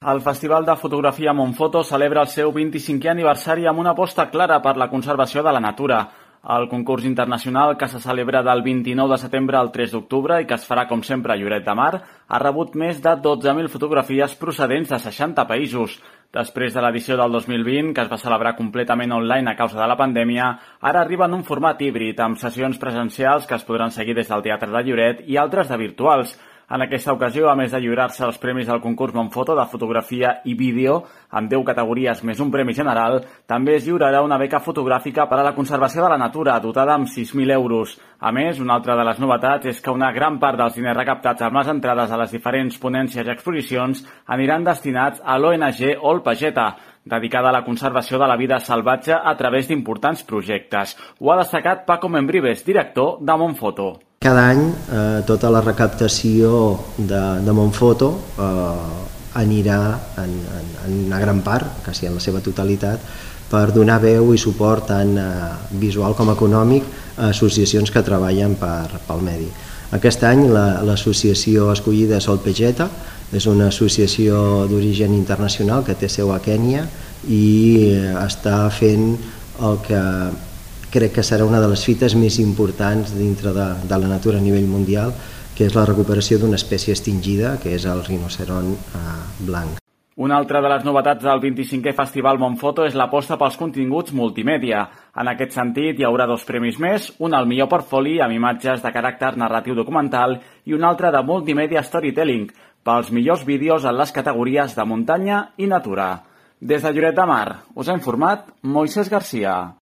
El Festival de Fotografia Montfoto celebra el seu 25è aniversari amb una aposta clara per la conservació de la natura. El concurs internacional, que se celebra del 29 de setembre al 3 d'octubre i que es farà, com sempre, a Lloret de Mar, ha rebut més de 12.000 fotografies procedents de 60 països. Després de l'edició del 2020, que es va celebrar completament online a causa de la pandèmia, ara arriba en un format híbrid, amb sessions presencials que es podran seguir des del Teatre de Lloret i altres de virtuals. En aquesta ocasió, a més de lliurar-se els premis del concurs Montfoto de fotografia i vídeo, amb 10 categories més un premi general, també es lliurarà una beca fotogràfica per a la conservació de la natura, dotada amb 6.000 euros. A més, una altra de les novetats és que una gran part dels diners recaptats amb les entrades a les diferents ponències i exposicions aniran destinats a l'ONG Olpageta, dedicada a la conservació de la vida salvatge a través d'importants projectes. Ho ha destacat Paco Membrives, director de Montfoto. Cada any tota la recaptació de Montfoto anirà en una gran part, quasi en la seva totalitat, per donar veu i suport tant visual com econòmic a associacions que treballen pel medi. Aquest any l'associació escollida és Olpageta, és una associació d'origen internacional que té seu a Kènia i està fent el que crec que serà una de les fites més importants dintre de la natura a nivell mundial, que és la recuperació d'una espècie extingida, que és el rinoceront blanc. Una altra de les novetats del 25è Festival Montfoto és l'aposta pels continguts multimèdia. En aquest sentit, hi haurà 2 premis més, un al millor portfoli amb imatges de caràcter narratiu documental i un altre de multimèdia storytelling, pels millors vídeos en les categories de muntanya i natura. Des de Lloret de Mar, us ha informat Moisés Garcia.